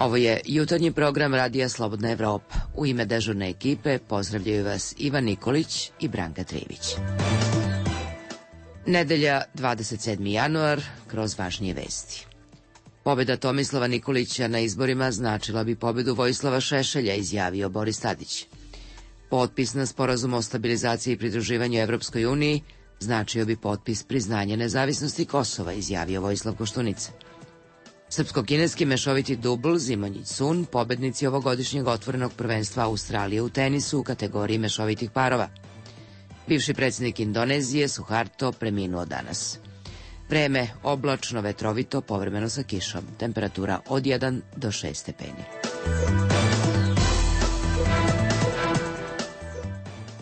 Ovo je jutarnji program Radija Slobodna Evropa. U ime dežurne ekipe pozdravljaju vas Ivan Nikolić i Branka Trivić. Nedelja, 27. januar, kroz važnije vesti. Pobjeda Tomislava Nikolića na izborima značila bi pobjedu Vojislava Šešelja, izjavio Boris Tadić. Potpis na sporazum o stabilizaciji i pridruživanju Evropskoj uniji značio bi potpis priznanja nezavisnosti Kosova, izjavio Vojislav Koštunica. Srpsko-kineski mešoviti dubl Zimonjić-Sun, pobednici ovogodišnjeg otvorenog prvenstva Australije u tenisu u kategoriji mešovitih parova. Bivši predsjednik Indonezije Suharto preminuo danas. Vreme oblačno, vetrovito, povremeno sa kišom. Temperatura od 1 do 6 stepeni.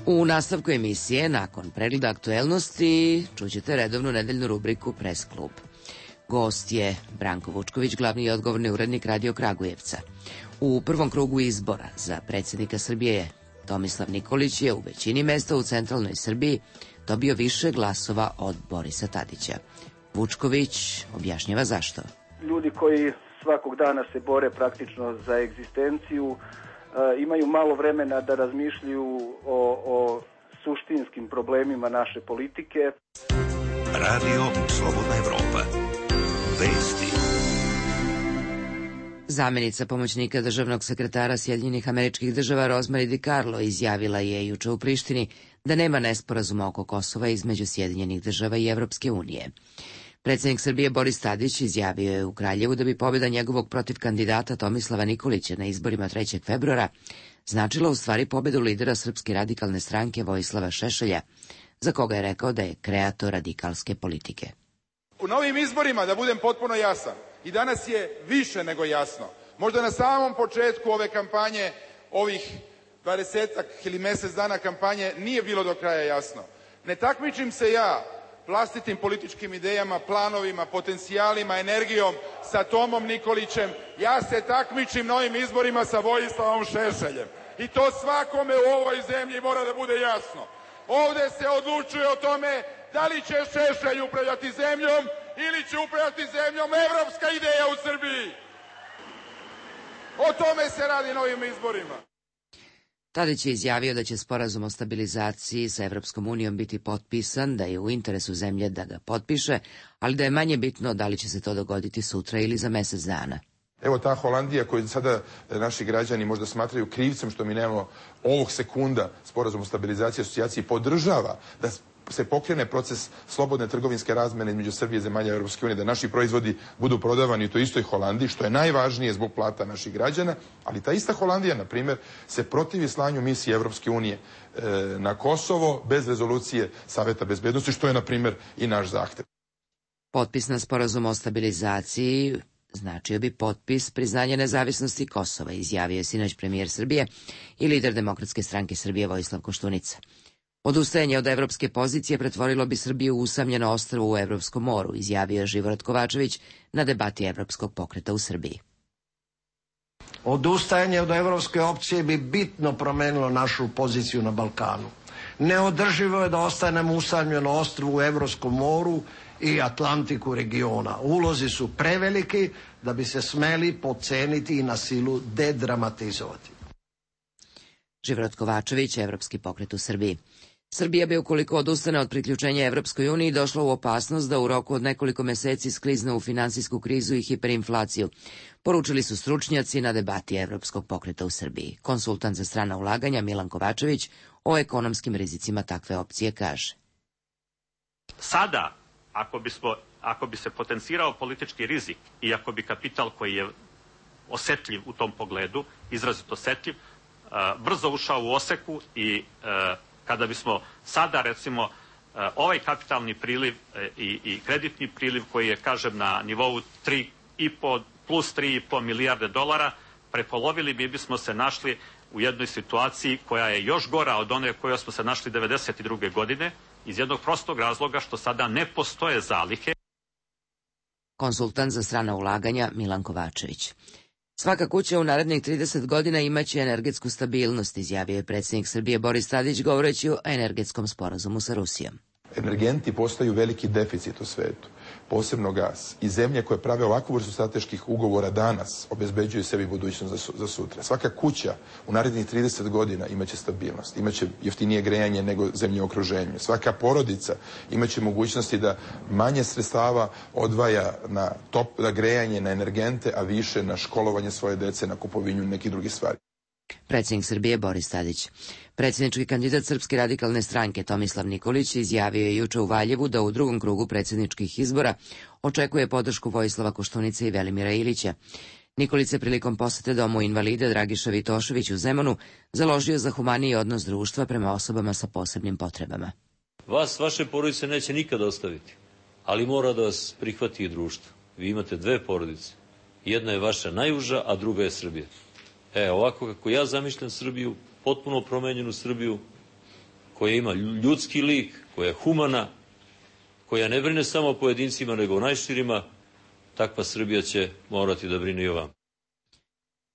U nastavku emisije, nakon pregleda aktuelnosti, čućete redovnu nedeljnu rubriku Press klub. Gost je Branko Vučković, glavni i odgovorni urednik Radio Kragujevca. U prvom krugu izbora za predsjednika Srbije Tomislav Nikolić je u većini mesta u centralnoj Srbiji dobio više glasova od Borisa Tadića. Vučković objašnjava zašto. Ljudi koji svakog dana se bore praktično za egzistenciju imaju malo vremena da razmišljaju o suštinskim problemima naše politike. Radio Slobodna Evropa. Vesti. Zamenica pomoćnika državnog sekretara Sjedinjenih Američkih Država Rosemary DiCarlo izjavila je juče u Prištini da nema nesporazuma oko Kosova između Sjedinjenih Država i Evropske unije. Predsjednik Srbije Boris Tadić izjavio je u Kraljevu da bi pobjeda njegovog protiv kandidata Tomislava Nikolića na izborima 3. februara značila u stvari pobjedu lidera Srpske radikalne stranke Vojislava Šešelja, za koga je rekao da je kreator radikalske politike. U novim izborima, da budem potpuno jasan, i danas je više nego jasno, možda na samom početku ove kampanje, ovih 20 ili mjesec dana kampanje, nije bilo do kraja jasno. Ne takmičim se ja vlastitim političkim idejama, planovima, potencijalima, energijom sa Tomom Nikolićem. Ja se takmičim na ovim izborima sa Vojislavom Šešeljem. I to svakome u ovoj zemlji mora da bude jasno. Ovde se odlučuje o tome da li će Šešelj upravljati zemljom ili će upravljati zemljom evropska ideja u Srbiji. O tome se radi na ovim izborima. Tadić je izjavio da će sporazum o stabilizaciji sa Evropskom unijom biti potpisan, da je u interesu zemlje da ga potpiše, ali da je manje bitno da li će se to dogoditi sutra ili za mjesec dana. Evo ta Holandija koju sada naši građani možda smatraju krivcem što mi nemamo ovog sekunda sporazum o stabilizaciji i asocijaciji podržava da se pokrene proces slobodne trgovinske razmene između Srbije i zemalja Europske unije, da naši proizvodi budu prodavani u toj istoj Holandiji, što je najvažnije zbog plata naših građana, ali ta ista Holandija, na primjer, se protivi slanju misije Europske unije na Kosovo bez rezolucije Saveta bezbednosti, što je, na primjer, i naš zahtev. Potpis na sporazum o stabilizaciji značio bi potpis priznanja nezavisnosti Kosova, izjavio je sinoć premijer Srbije i lider Demokratske stranke Srbije Vojislav Koštunica. Odustajanje od evropske pozicije pretvorilo bi Srbiju u usamljeno ostrvo u Evropskom moru, izjavio je Živorad Kovačević na debati Evropskog pokreta u Srbiji. Odustajanje od evropske opcije bi bitno promenilo našu poziciju na Balkanu. Neodrživo je da ostanemo usamljeno ostrvo u Evropskom moru i Atlantiku regiona. Ulozi su preveliki da bi se smeli podceniti i na silu dedramatizovati. Živorad Kovačević, Evropski pokret u Srbiji. Srbija bi, ukoliko odustane od priključenja Evropskoj uniji, došla u opasnost da u roku od nekoliko meseci sklizne u finansijsku krizu i hiperinflaciju, poručili su stručnjaci na debati Evropskog pokreta u Srbiji. Konsultant za strana ulaganja Milan Kovačević o ekonomskim rizicima takve opcije kaže. Sada, ako bi se potencirao politički rizik i ako bi kapital koji je osetljiv u tom pogledu, izrazito osetljiv, brzo ušao u oseku i kada bismo sada, recimo, ovaj kapitalni priliv i kreditni priliv koji je, kažem, na nivou 3,5 plus 3,5 milijarde dolara, prepolovili bismo se našli u jednoj situaciji koja je još gora od one kojoj smo se našli 1992. godine, iz jednog prostog razloga što sada ne postoje zalihe. Konsultant za strana ulaganja Milan Kovačević. Svaka kuća u narednih 30 godina imaće energetsku stabilnost, izjavio je predsjednik Srbije Boris Tadić govoreći o energetskom sporazumu sa Rusijom. Energenti postaju veliki deficit u svetu, posebno gas. I zemlje koje prave ovakvu vrstu strateških ugovora danas obezbeđuju sebi budućnost za sutra. Svaka kuća u narednih 30 godina imaće stabilnost, imaće jeftinije grejanje nego zemlje u okruženju. Svaka porodica imaće mogućnosti da manje sredstava odvaja na grejanje, na energente, a više na školovanje svoje dece, na kupovinu nekih drugih stvari. Predsjednik Srbije Boris Tadić. Predsjednički kandidat Srpske radikalne stranke Tomislav Nikolić izjavio je juče u Valjevu da u drugom krugu predsjedničkih izbora očekuje podršku Vojislava Koštunice i Velimira Ilića. Nikolić se prilikom posete domu invalida Dragiša Vitošević u Zemunu založio za humaniji odnos društva prema osobama sa posebnim potrebama. Vas, vaše porodice neće nikada ostaviti, ali mora da vas prihvati i društvo. Vi imate dve porodice. Jedna je vaša najuža, a druga je Srbija. Ovako kako ja zamišljam Srbiju, potpuno promenjenu Srbiju, koja ima ljudski lik, koja je humana, koja ne brine samo o pojedincima, nego o najširima, takva Srbija će morati da brine i o vama.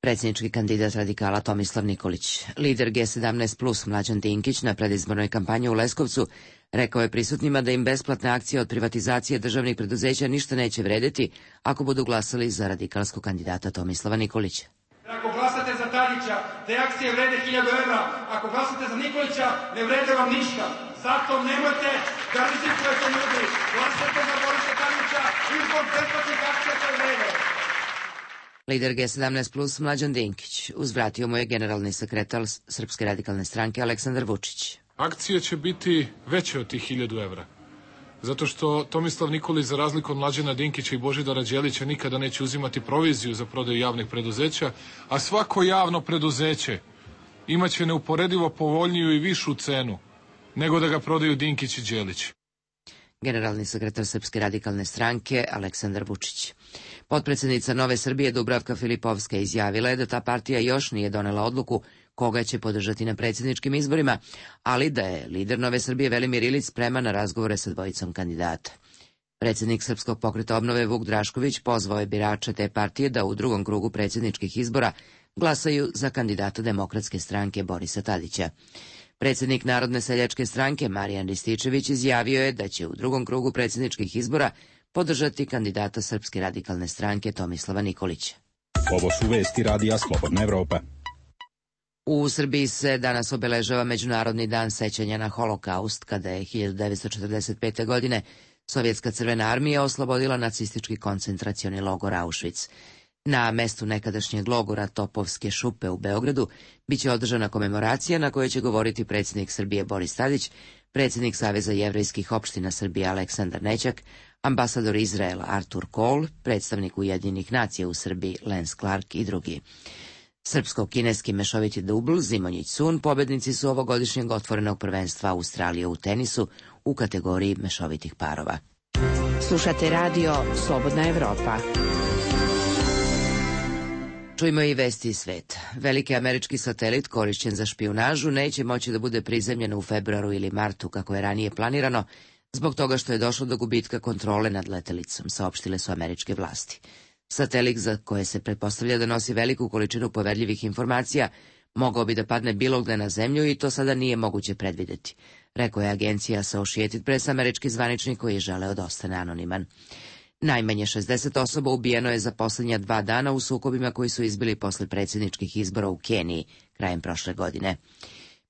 Predsjednički kandidat radikala Tomislav Nikolić. Lider G17+, Mlađan Dinkić, na predizbornoj kampanji u Leskovcu rekao je prisutnima da im besplatne akcije od privatizacije državnih preduzeća ništa neće vredeti ako budu glasali za radikalskog kandidata Tomislava Nikolića. Ako glasate za Tadića, te akcije vrede 1000 evra. Ako glasate za Nikolića, ne vrede vam ništa. Zato nemojte da rizikujete ljudi. Glasate za Borisa Tadića i zbog besplatnih akcija koje vrede. Lider G17+, Mlađan Dinkić, uzvratio mu je generalni sekretar Srpske radikalne stranke Aleksandar Vučić. Akcije će biti veće od tih 1000 evra. Zato što Tomislav Nikolić, za razliku od Mlađana Dinkića i Božidara Đelića, nikada neće uzimati proviziju za prodaju javnih preduzeća, a svako javno preduzeće imaće neuporedivo povoljniju i višu cenu nego da ga prodaju Dinkić i Đelić. Generalni sekretar Srpske radikalne stranke Aleksandar Vučić. Potpredsjednica Nove Srbije Dubravka Filipovska izjavila je da ta partija još nije donela odluku koga će podržati na predsjedničkim izborima, ali da je lider Nove Srbije Velimir Ilić spreman na razgovore sa dvojicom kandidata. Predsjednik Srpskog pokreta obnove Vuk Drašković pozvao je birače te partije da u drugom krugu predsjedničkih izbora glasaju za kandidata Demokratske stranke Borisa Tadića. Predsjednik Narodne seljačke stranke Marijan Rističević izjavio je da će u drugom krugu predsjedničkih izbora podržati kandidata Srpske radikalne stranke Tomislava Nikolića. Ovo su vesti Radija Slobodna Evropa. U Srbiji se danas obeležava Međunarodni dan sećanja na Holokaust, kada je 1945. godine Sovjetska crvena armija oslobodila nacistički koncentracioni logor Auschwitz. Na mestu nekadašnjeg logora Topovske šupe u Beogradu biće održana komemoracija na kojoj će govoriti predsjednik Srbije Boris Tadić, predsjednik Saveza jevrejskih opština Srbije Aleksandar Nećak, ambasador Izraela Artur Kohl, predstavnik Ujedinjenih nacija u Srbiji Lance Clark i drugi. Srpsko-kineski mešoviti dubl Zimonjić Sun pobednici su ovogodišnjeg otvorenog prvenstva Australije u tenisu u kategoriji mešovitih parova. Slušate radio Slobodna Evropa. Čujmo i vesti iz sveta. Veliki američki satelit korišćen za špijunažu neće moći da bude prizemljen u februaru ili martu, kako je ranije planirano, zbog toga što je došlo do gubitka kontrole nad letelicom, saopštile su američke vlasti. Satelit, za koje se pretpostavlja da nosi veliku količinu poverljivih informacija, mogao bi da padne bilo gde na zemlju i to sada nije moguće predvideti, rekao je agencija Associated Press, američki zvaničnik koji je želeo da ostane anoniman. Najmanje 60 osoba ubijeno je za posljednja 2 dana u sukobima koji su izbili posle predsjedničkih izbora u Keniji krajem prošle godine.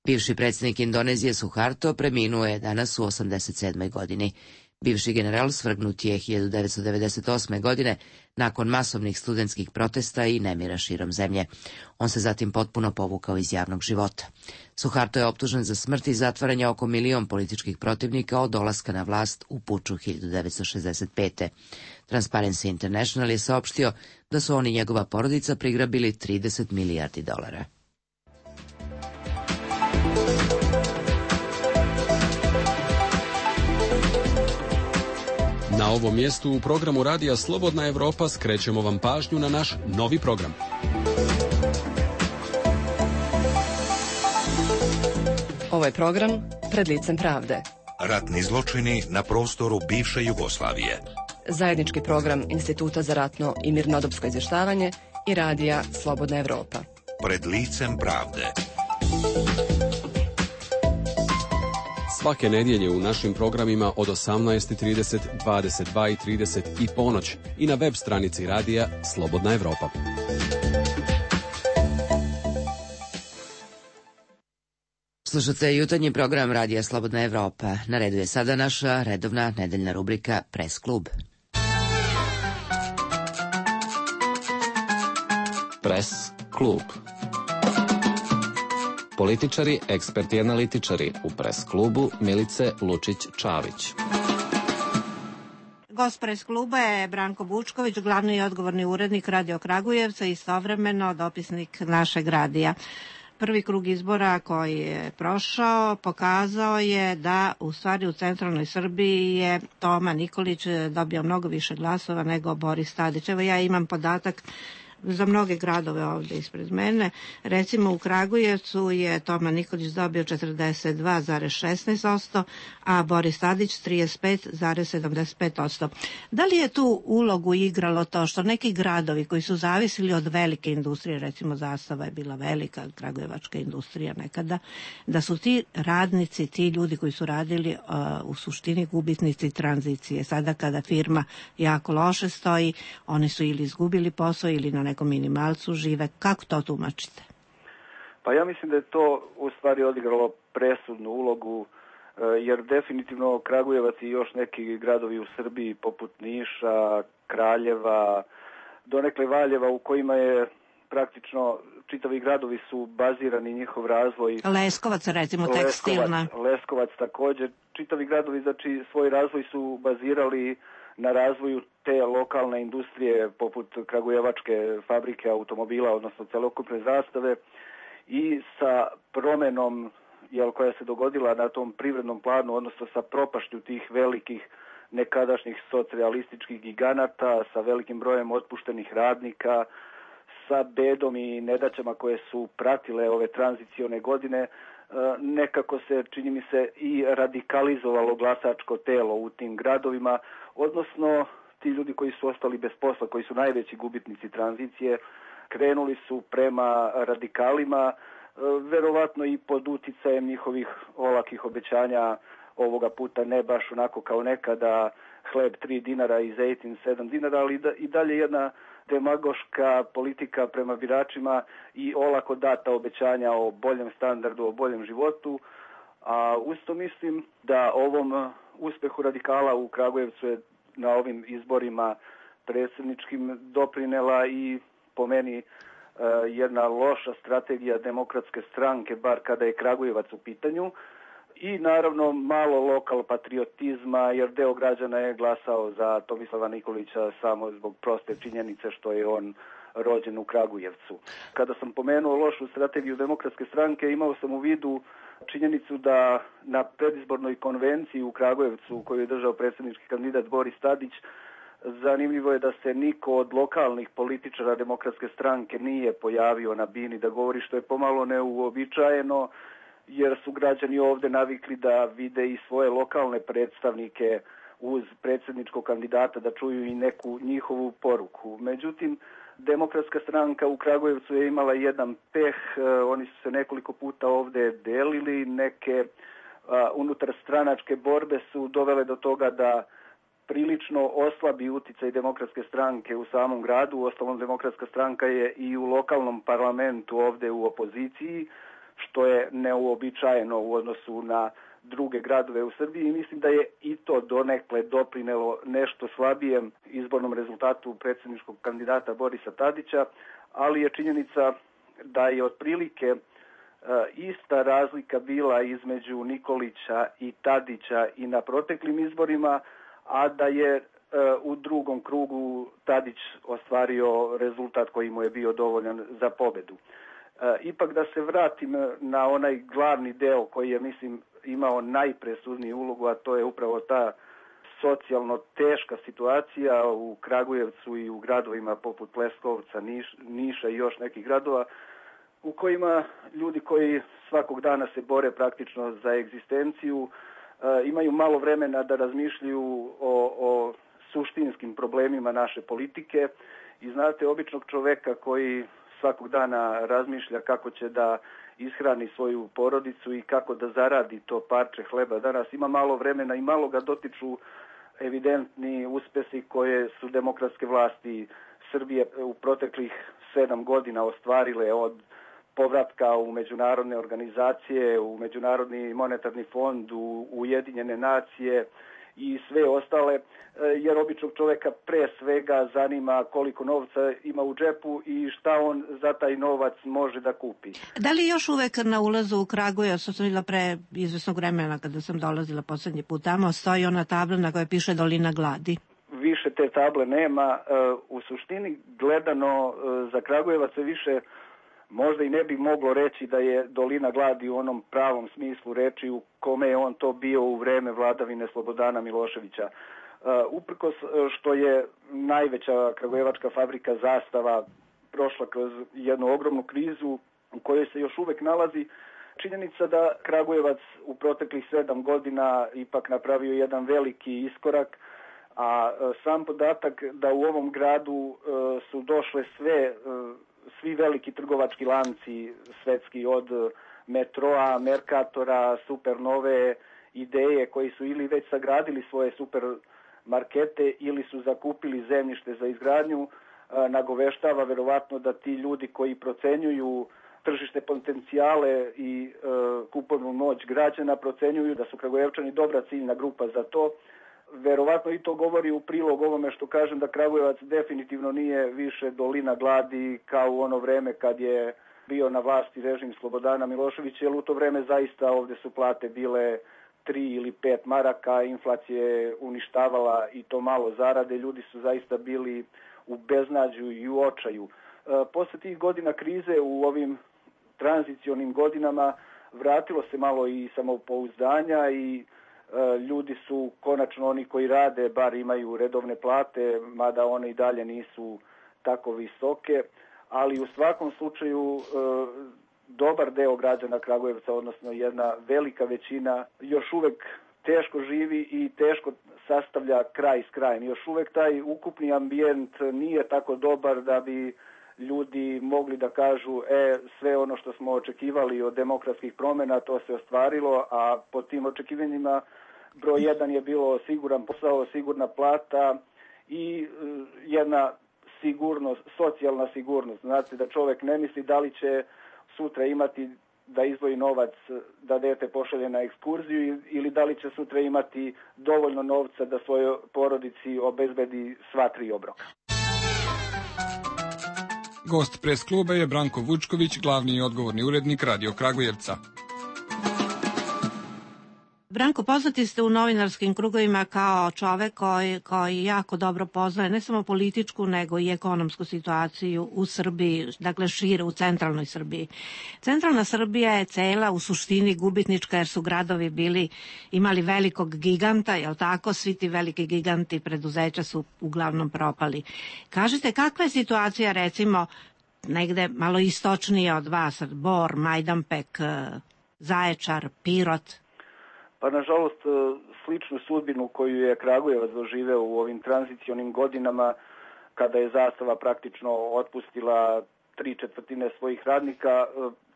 Bivši predsjednik Indonezije Suharto preminuo je danas u 87. godini. Bivši general svrgnut je 1998. godine nakon masovnih studentskih protesta i nemira širom zemlje. On se zatim potpuno povukao iz javnog života. Suharto je optužen za smrt i zatvaranje oko 1 milion političkih protivnika od dolaska na vlast u puču 1965. Transparency International je saopštio da su on i njegova porodica prigrabili $30 milijardi. Na ovom mjestu u programu Radija Slobodna Evropa skrećemo vam pažnju na naš novi program. Ovo je program Pred licem pravde. Ratni zločini na prostoru bivše Jugoslavije. Zajednički program Instituta za ratno i mirnodopsko izvještavanje i Radija Slobodna Evropa. Pred licem pravde. Svake nedjelje u našim programima od 18:30, 22:30 i ponoć i na web stranici radija Slobodna Evropa. Slušate jutarnji program radija Slobodna Evropa. Na redu je sada naša redovna nedeljna rubrika Pres klub. Pres klub. Političari, eksperti i analitičari u Pres klubu Milice Lučić-Čavić. Gost Pres kluba je Branko Bučković, glavni i odgovorni urednik Radio Kragujevca i istovremeno dopisnik našeg radija. Prvi krug izbora koji je prošao pokazao je da u stvari u centralnoj Srbiji je Toma Nikolić dobio mnogo više glasova nego Boris Tadić. Evo ja imam podatak za mnoge gradove ovdje ispred mene. Recimo u Kragujevcu je Toma Nikolić dobio 42,16%, a Boris Tadić 35,75%. Da li je tu ulogu igralo to što neki gradovi koji su zavisili od velike industrije, recimo Zastava je bila velika kragujevačka industrija nekada, da su ti radnici, ti ljudi koji su radili u suštini gubitnici tranzicije. Sada kada firma jako loše stoji, oni su ili izgubili posao ili na nekom minimalcu žive. Kako to tumačite? Pa ja mislim da je to u stvari odigralo presudnu ulogu, jer definitivno Kragujevac i još neki gradovi u Srbiji poput Niša, Kraljeva, donekle Valjeva u kojima je praktično čitavi gradovi su bazirani njihov razvoj. Leskovac recimo tekstilna. Leskovac također. Čitavi gradovi znači svoj razvoj su bazirali na razvoju te lokalne industrije poput kragujevačke fabrike automobila, odnosno celokupne Zastave, i sa promenom koja se dogodila na tom privrednom planu, odnosno sa propašću tih velikih nekadašnjih socijalističkih giganata, sa velikim brojem otpuštenih radnika, sa bedom i nedaćama koje su pratile ove tranzicione godine, nekako se, čini mi se, i radikalizovalo glasačko telo u tim gradovima, odnosno ti ljudi koji su ostali bez posla, koji su najveći gubitnici tranzicije, krenuli su prema radikalima, verovatno i pod uticajem njihovih olakih obećanja, ovoga puta ne baš onako kao nekada, hleb 3 dinara i zejtin 7 dinara, ali i dalje jedna demagoška politika prema biračima i olako data obećanja o boljem standardu, o boljem životu. A usto mislim da ovom uspehu radikala u Kragujevcu je na ovim izborima predsjedničkim doprinela i po meni jedna loša strategija Demokratske stranke, bar kada je Kragujevac u pitanju, i naravno malo lokal patriotizma, jer deo građana je glasao za Tomislava Nikolića samo zbog proste činjenice što je on rođen u Kragujevcu. Kada sam pomenuo lošu strategiju Demokratske stranke, imao sam u vidu činjenicu da na predizbornoj konvenciji u Kragujevcu koju je držao predsjednički kandidat Boris Tadić, zanimljivo je da se niko od lokalnih političara Demokratske stranke nije pojavio na bini da govori, što je pomalo neuobičajeno, jer su građani ovdje navikli da vide i svoje lokalne predstavnike uz predsjedničkog kandidata, da čuju i neku njihovu poruku. Međutim, Demokratska stranka u Kragujevcu je imala jedan peh, oni su se nekoliko puta ovdje delili, neke unutar stranačke borbe su dovele do toga da prilično oslabi uticaj Demokratske stranke u samom gradu. Uostalom, Demokratska stranka je i u lokalnom parlamentu ovdje u opoziciji, što je neuobičajeno u odnosu na druge gradove u Srbiji, i mislim da je i to donekle doprinelo nešto slabijem izbornom rezultatu predsjedničkog kandidata Borisa Tadića, ali je činjenica da je otprilike ista razlika bila između Nikolića i Tadića i na proteklim izborima, a da je u drugom krugu Tadić ostvario rezultat koji mu je bio dovoljan za pobedu. Ipak da se vratim na onaj glavni deo koji je, mislim, imao najpresudniju ulogu, a to je upravo ta socijalno teška situacija u Kragujevcu i u gradovima poput Leskovca, Niša i još nekih gradova, u kojima ljudi koji svakog dana se bore praktično za egzistenciju, imaju malo vremena da razmišljaju o suštinskim problemima naše politike. I znate, običnog čoveka koji svakog dana razmišlja kako će da ishrani svoju porodicu i kako da zaradi to parče hleba. Danas ima malo vremena i malo ga dotiču evidentni uspesi koje su demokratske vlasti Srbije u proteklih 7 godina ostvarile, od povratka u međunarodne organizacije, u Međunarodni monetarni fond, u Ujedinjene nacije i sve ostale, jer običnog čoveka pre svega zanima koliko novca ima u džepu i šta on za taj novac može da kupi. Da li još uvek na ulazu u Kragujevac, što sam videla pre izvesnog vremena kada sam dolazila poslednji put tamo, stoji ona tabla na kojoj piše Dolina gladi? Više te table nema. U suštini gledano za Kragujevac se više možda i ne bi moglo reći da je Dolina gladi u onom pravom smislu reči u kome je on to bio u vreme vladavine Slobodana Miloševića. Uprkos što je najveća kragujevačka fabrika Zastava prošla kroz jednu ogromnu krizu u kojoj se još uvek nalazi, činjenica da Kragujevac u proteklih 7 godina ipak napravio jedan veliki iskorak, a sam podatak da u ovom gradu su došle svi veliki trgovački lanci svetski, od Metroa, Merkatora, Supernove, Ideje, koji su ili već sagradili svoje supermarkete ili su zakupili zemljište za izgradnju, nagoveštava verovatno da ti ljudi koji procenjuju tržište potencijale i kupovnu moć građana procenjuju da su Kragujevčani dobra ciljna grupa za to. Verovatno i to govori u prilog ovome što kažem da Kragujevac definitivno nije više Dolina gladi kao u ono vreme kad je bio na vlasti režim Slobodana Miloševića, jer u to vreme zaista ovde su plate bile 3 ili 5 maraka, inflacija je uništavala i to malo zarade, ljudi su zaista bili u beznađu i u očaju. Posle tih godina krize u ovim tranzicionim godinama vratilo se malo i samopouzdanja i ljudi su konačno, oni koji rade, bar imaju redovne plate, mada one i dalje nisu tako visoke, ali u svakom slučaju dobar deo građana Kragujevca, odnosno jedna velika većina, još uvek teško živi i teško sastavlja kraj s krajem. Još uvek taj ukupni ambijent nije tako dobar da bi ljudi mogli da kažu sve ono što smo očekivali od demokratskih promjena, to se ostvarilo, a po tim očekivanjima broj 1 je bilo siguran posao, sigurna plata i jedna sigurnost, socijalna sigurnost. Znači da čovek ne misli da li će sutra imati da izdvoji novac da dete pošalje na ekskurziju ili da li će sutra imati dovoljno novca da svojoj porodici obezbedi sva 3 obroka. Gost pres kluba je Branko Vučković, glavni i odgovorni urednik Radio Kragujevca. Branko, poznati ste u novinarskim krugovima kao čovek koji jako dobro poznaje ne samo političku, nego i ekonomsku situaciju u Srbiji, dakle šire u centralnoj Srbiji. Centralna Srbija je cela u suštini gubitnička jer su gradovi imali velikog giganta, jel tako? Svi ti veliki giganti preduzeća su uglavnom propali. Kažite, kakva je situacija recimo negde malo istočnije od vas, Bor, Majdanpek, Zaječar, Pirot? Pa nažalost sličnu sudbinu koju je Kragujevac doživeo u ovim tranzicionim godinama kada je Zastava praktično otpustila 3/4 svojih radnika,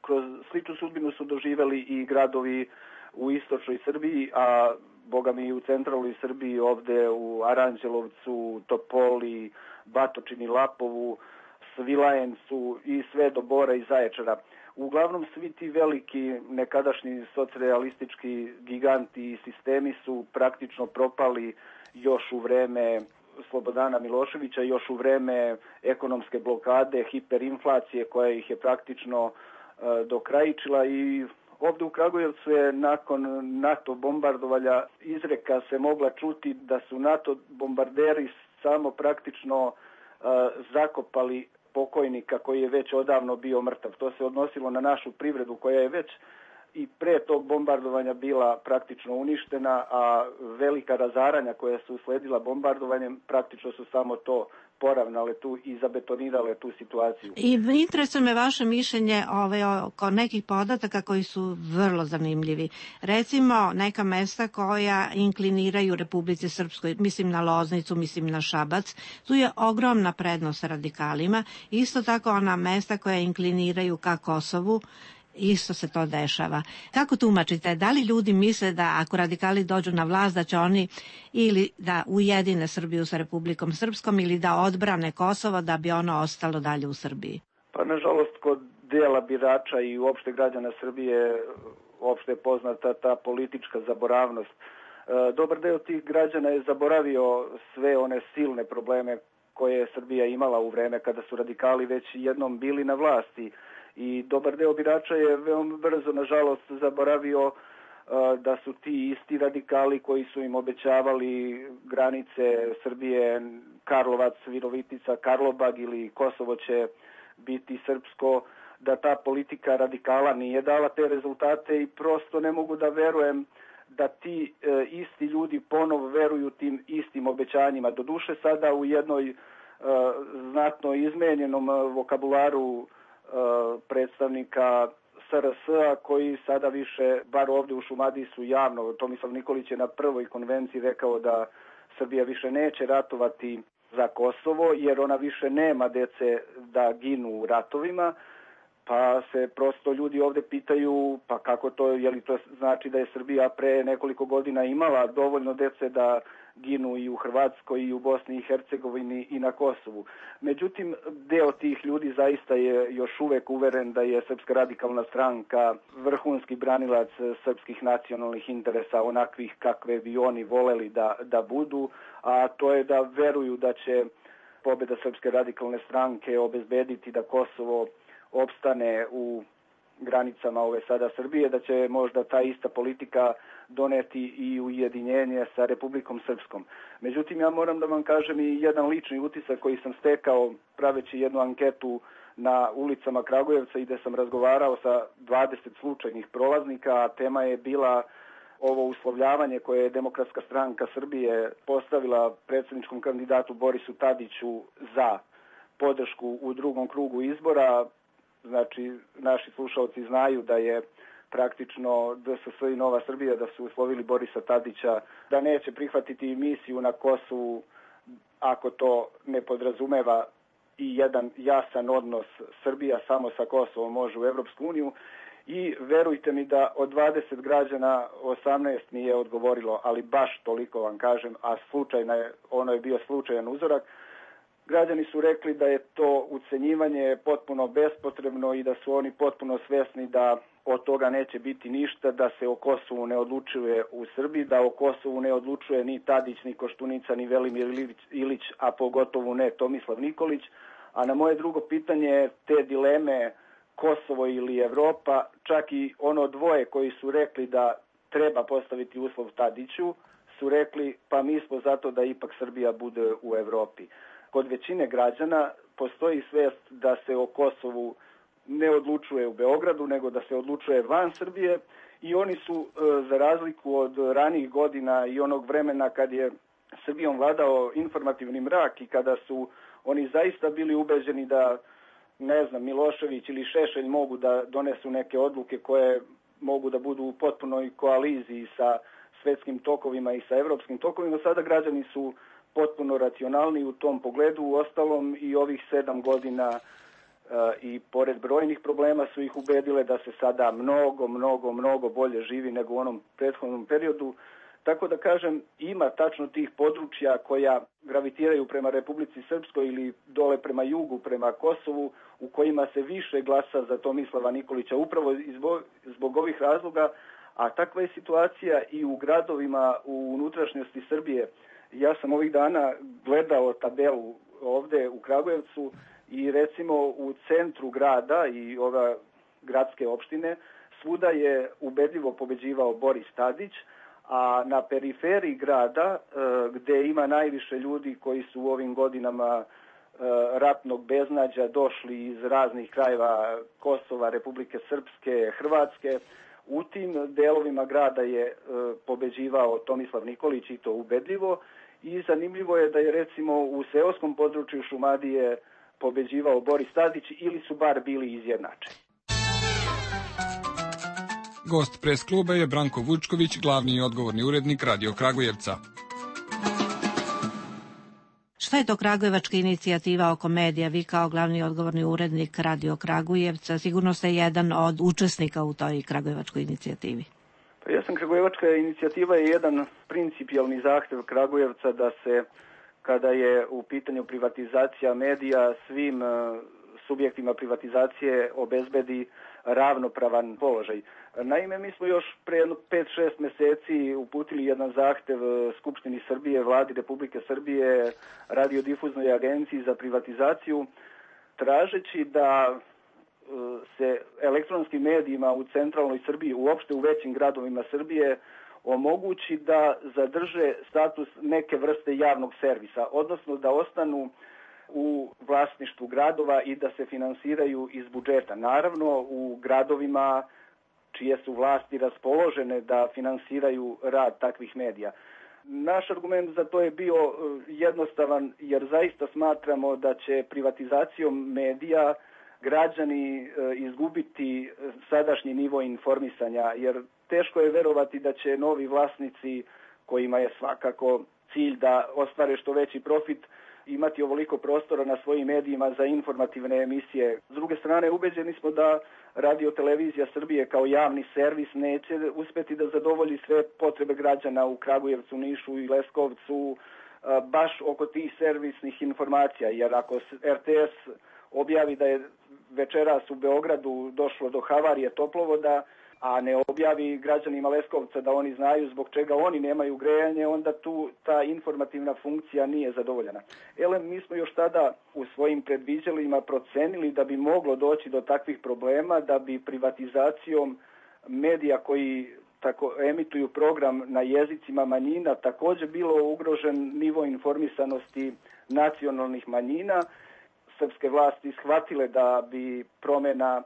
kroz sličnu sudbinu su doživeli i gradovi u istočnoj Srbiji, a bogami i u centralnoj Srbiji ovde u Aranđelovcu, Topoli, Batočini, Lapovu, Svilajencu i sve do Bora i Zaječara. Uglavnom svi ti veliki nekadašnji socrealistički giganti i sistemi su praktično propali još u vreme Slobodana Miloševića, još u vreme ekonomske blokade, hiperinflacije koja ih je praktično dokrajičila i ovde u Kragujevcu je nakon NATO bombardovanja izreka se mogla čuti da su NATO bombarderi samo praktično zakopali pokojnika koji je već odavno bio mrtav. To se odnosilo na našu privredu koja je već i pre tog bombardovanja bila praktično uništena, a velika razaranja koja su usledila bombardovanjem praktično su samo to poravnale tu i zabetonirale tu situaciju. I interesuje me vaše mišljenje oko nekih podataka koji su vrlo zanimljivi. Recimo, neka mesta koja inkliniraju Republici Srpskoj, mislim na Loznicu, mislim na Šabac, tu je ogromna prednost radikalima. Isto tako ona mesta koja inkliniraju ka Kosovu, isto se to dešava. Kako tumačite? Da li ljudi misle da ako radikali dođu na vlast da će oni ili da ujedine Srbiju sa Republikom Srpskom ili da odbrane Kosovo da bi ono ostalo dalje u Srbiji? Pa nažalost kod dela birača i uopšte građana Srbije uopšte je poznata ta politička zaboravnost. Dobar deo tih građana je zaboravio sve one silne probleme koje je Srbija imala u vreme kada su radikali već jednom bili na vlasti. I dobar deo birača je veoma brzo, nažalost, zaboravio da su ti isti radikali koji su im obećavali granice Srbije, Karlovac, Virovitica, Karlobag ili Kosovo će biti srpsko, da ta politika radikala nije dala te rezultate i prosto ne mogu da verujem da ti isti ljudi ponovo veruju tim istim obećanjima. Doduše sada u jednoj znatno izmenjenom vokabularu predstavnika SRS-a koji sada više, bar ovdje u Šumadiji su javno, Tomislav Nikolić je na prvoj konvenciji rekao da Srbija više neće ratovati za Kosovo jer ona više nema dece da ginu u ratovima, pa se prosto ljudi ovdje pitaju pa kako to, je li to znači da je Srbija pre nekoliko godina imala dovoljno dece da ginu i u Hrvatskoj i u Bosni i Hercegovini i na Kosovu. Međutim, deo tih ljudi zaista je još uvek uveren da je Srpska radikalna stranka vrhunski branilac srpskih nacionalnih interesa, onakvih kakve bi oni voleli da budu, a to je da veruju da će pobjeda Srpske radikalne stranke obezbediti da Kosovo opstane u granicama ove sada Srbije, da će možda ta ista politika doneti i ujedinjenje sa Republikom Srpskom. Međutim, ja moram da vam kažem i jedan lični utisak koji sam stekao praveći jednu anketu na ulicama Kragujevca i gde sam razgovarao sa 20 slučajnih prolaznika, a tema je bila ovo uslovljavanje koje je Demokratska stranka Srbije postavila predsjedničkom kandidatu Borisu Tadiću za podršku u drugom krugu izbora. Znači, naši slušalci znaju da je praktično DSS i Nova Srbija da su uslovili Borisa Tadića da neće prihvatiti misiju na Kosovu ako to ne podrazumeva i jedan jasan odnos Srbija samo sa Kosovom može u Evropsku uniju. I verujte mi da od 20 građana 18 mi je odgovorilo, ali baš toliko vam kažem, a ono je bio slučajan uzorak. Građani su rekli da je to ucenjivanje potpuno bespotrebno i da su oni potpuno svesni da od toga neće biti ništa, da se o Kosovu ne odlučuje u Srbiji, da o Kosovu ne odlučuje ni Tadić, ni Koštunica, ni Velimir Ilić, a pogotovo ne Tomislav Nikolić. A na moje drugo pitanje, te dileme Kosovo ili Evropa, čak i ono dvoje koji su rekli da treba postaviti uslov Tadiću, su rekli pa mi smo zato da ipak Srbija bude u Evropi. Kod većine građana postoji svest da se o Kosovu ne odlučuje u Beogradu, nego da se odlučuje van Srbije i oni su, za razliku od ranijih godina i onog vremena kad je Srbijom vladao informativni mrak i kada su oni zaista bili ubeđeni da, ne znam, Milošević ili Šešelj mogu da donesu neke odluke koje mogu da budu u potpunoj koaliziji sa svetskim tokovima i sa evropskim tokovima, sada građani su potpuno racionalni u tom pogledu. Uostalom i ovih 7 godina i pored brojnih problema su ih ubedile da se sada mnogo bolje živi nego u onom prethodnom periodu. Tako da kažem, ima tačno tih područja koja gravitiraju prema Republici Srpskoj ili dole prema jugu, prema Kosovu, u kojima se više glasa za Tomislava Nikolića upravo zbog ovih razloga, a takva je situacija i u gradovima u unutrašnjosti Srbije. Ja sam ovih dana gledao tabelu ovde u Kragujevcu i recimo u centru grada i ova gradske opštine svuda je ubedljivo pobeđivao Boris Tadić, a na periferiji grada gde ima najviše ljudi koji su u ovim godinama ratnog beznađa došli iz raznih krajeva Kosova, Republike Srpske, Hrvatske, U tim delovima grada je pobeđivao Tomislav Nikolić i to ubedljivo i zanimljivo je da je recimo u seoskom području Šumadije pobeđivao Boris Tadić ili su bar bili izjednačeni. Gost pres kluba je Branko Vučković, glavni i odgovorni urednik Radio Kragujevca. Šta je to kragujevačka inicijativa oko medija? Vi kao glavni odgovorni urednik Radio Kragujevca sigurno ste jedan od učesnika u toj kragujevačkoj inicijativi. Pa kragujevačka inicijativa je jedan principijalni zahtev Kragujevca da se, kada je u pitanju privatizacija medija, svim subjektima privatizacije obezbedi ravnopravan položaj. Naime, mi smo još pre 5-6 meseci uputili jedan zahtev Skupštini Srbije, Vladi Republike Srbije, Radiodifuznoj agenciji za privatizaciju, tražeći da se elektronskim medijima u centralnoj Srbiji, uopšte u većim gradovima Srbije, omogući da zadrže status neke vrste javnog servisa, odnosno da ostanu u vlasništvu gradova i da se finansiraju iz budžeta. Naravno, u gradovima čije su vlasti raspoložene da finansiraju rad takvih medija. Naš argument za to je bio jednostavan, jer zaista smatramo da će privatizacijom medija građani izgubiti sadašnji nivo informisanja, jer teško je verovati da će novi vlasnici, kojima je svakako cilj da ostvare što veći profit, imati ovoliko prostora na svojim medijima za informativne emisije. S druge strane, ubeđeni smo da Radio Televizija Srbije kao javni servis neće uspeti da zadovolji sve potrebe građana u Kragujevcu, Nišu i Leskovcu baš oko tih servisnih informacija, jer ako RTS objavi da je večeras u Beogradu došlo do havarije toplovoda, a ne objavi građanima Leskovca da oni znaju zbog čega oni nemaju grejanje, onda tu ta informativna funkcija nije zadovoljena. Mi smo još tada u svojim predviđanjima procenili da bi moglo doći do takvih problema, da bi privatizacijom medija koji tako emituju program na jezicima manjina također bilo ugrožen nivo informisanosti nacionalnih manjina. Srpske vlasti shvatile da bi promjena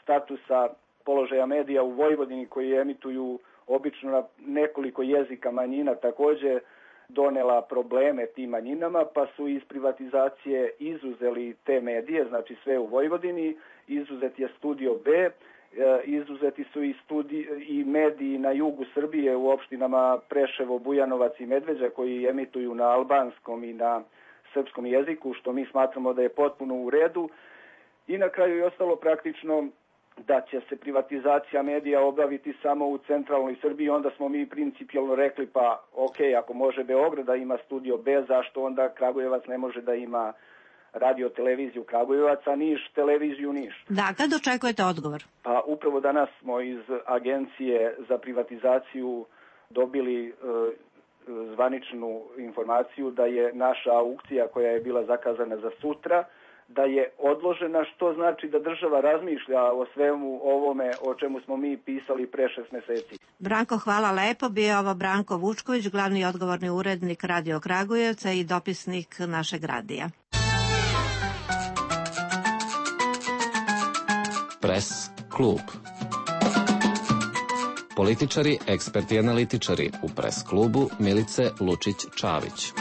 statusa položaja medija u Vojvodini koji emituju obično na nekoliko jezika manjina također donela probleme tim manjinama, pa su iz privatizacije izuzeli te medije, znači sve u Vojvodini, izuzet je Studio B, izuzeti su i mediji na jugu Srbije u opštinama Preševo, Bujanovac i Medveđa koji emituju na albanskom i na srpskom jeziku, što mi smatramo da je potpuno u redu. I na kraju je ostalo praktično da će se privatizacija medija obaviti samo u centralnoj Srbiji, onda smo mi principijalno rekli pa ako može Beograd da ima Studio B, zašto onda Kragujevac ne može da ima Radio Televiziju Kragujevac, a Niš Televiziju Niš. Da, kad očekujete odgovor? Pa upravo danas smo iz Agencije za privatizaciju dobili zvaničnu informaciju da je naša aukcija koja je bila zakazana za sutra, da je odložena, što znači da država razmišlja o svemu ovome o čemu smo mi pisali pre 6 meseci. Branko, hvala lepo. Bio ovo Branko Vučković, glavni odgovorni urednik Radio Kragujevca i dopisnik našeg radija. Pres klub. Političari, eksperti i analitičari u pres klubu Milice Lučić-Čavić.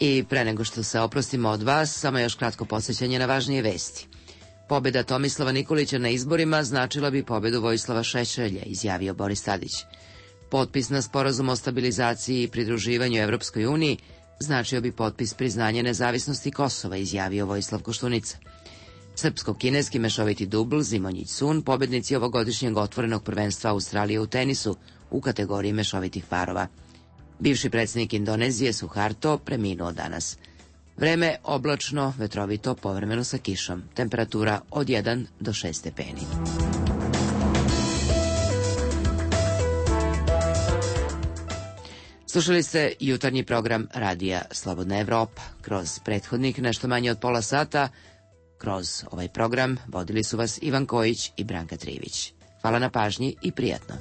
I pre nego što se oprostimo od vas, samo još kratko podsjećanje na važnije vesti. Pobjeda Tomislava Nikolića na izborima značila bi pobjedu Vojislava Šešelja, izjavio Boris Tadić. Potpis na sporazum o stabilizaciji i pridruživanju Evropskoj uniji značio bi potpis priznanja nezavisnosti Kosova, izjavio Vojislav Koštunica. Srpsko-kineski mešoviti dubl Zimonjić-Sun, pobednici ovogodišnjeg otvorenog prvenstva Australije u tenisu u kategoriji mešovitih parova. Bivši predsjednik Indonezije Suharto preminuo danas. Vreme oblačno, vetrovito, povremeno sa kišom. Temperatura od 1 do 6 stepeni. Slušali ste jutarnji program Radija Slobodna Evropa. Kroz prethodnik nešto manje od pola sata, kroz ovaj program vodili su vas Ivan Kojić i Branka Trivić. Hvala na pažnji i prijatno.